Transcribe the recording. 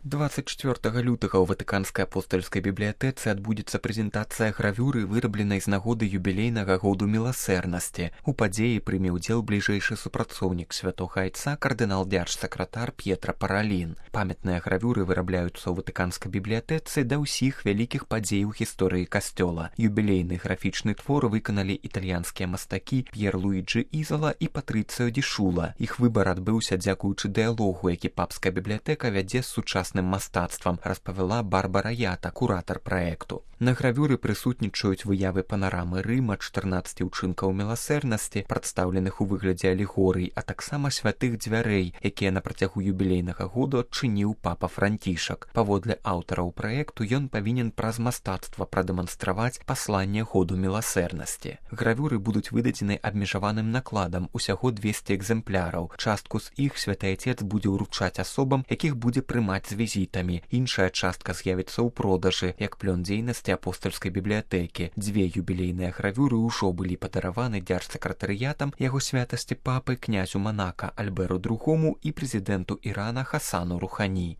24 лютага ў Ватыканскай апостальскай бібліятэцы адбудзецца прэзентацыя гравюры, вырабленай з нагоды юбілейнага году міласэрнасці. У падзеі прыме ўдзел бліжэйшы супрацоўнік святога айца кардынал-дзярж-сакратар П'етра Паралін. Памятныя гравюры вырабляюцца ў Ватыканскай бібліятэцы да ўсіх вялікіх падзей у гісторыі касцёла. Юбілейны графічны твор выканалі італьянскія мастакі П'ер Луіджі Ізала і Патрыцыо Ді Шула. Іх выбар адбыўся дзякуючы дыялогу, які папская бібліятэка вядзе з сучасным мастацтвам, распавяла Барбара Ята, куратар праекту. На гравюры прысутнічаюць выявы панарамы Рыма, 14 учынкаў міласэрнасці, прадстаўленых у выглядзе алегорый, а таксама святых дзвярэй, якія на працягу юбілейнага году адчыніў папа Францішак. Паводле аўтараў праекту ён павінен праз мастацтва прадэманстраваць пасланне году міласэрнасці. Гравюры будуць выдадзены абмежаваным накладам, усяго 200 экземпляраў. Частку з іх святы айцец будзе ўручаць асобам, якіх будзе прымаць з візітамі. Іншая частка з'явіцца ў продажы, як плён дзейнасці апостальскай бібліятэкі. Дзве юбілейныя гравюры ўжо былі падараваны дзярж-сакратарыятам яго святасці папы князю Манака Альберу II і прэзідэнту Ірана Хасану Рухані.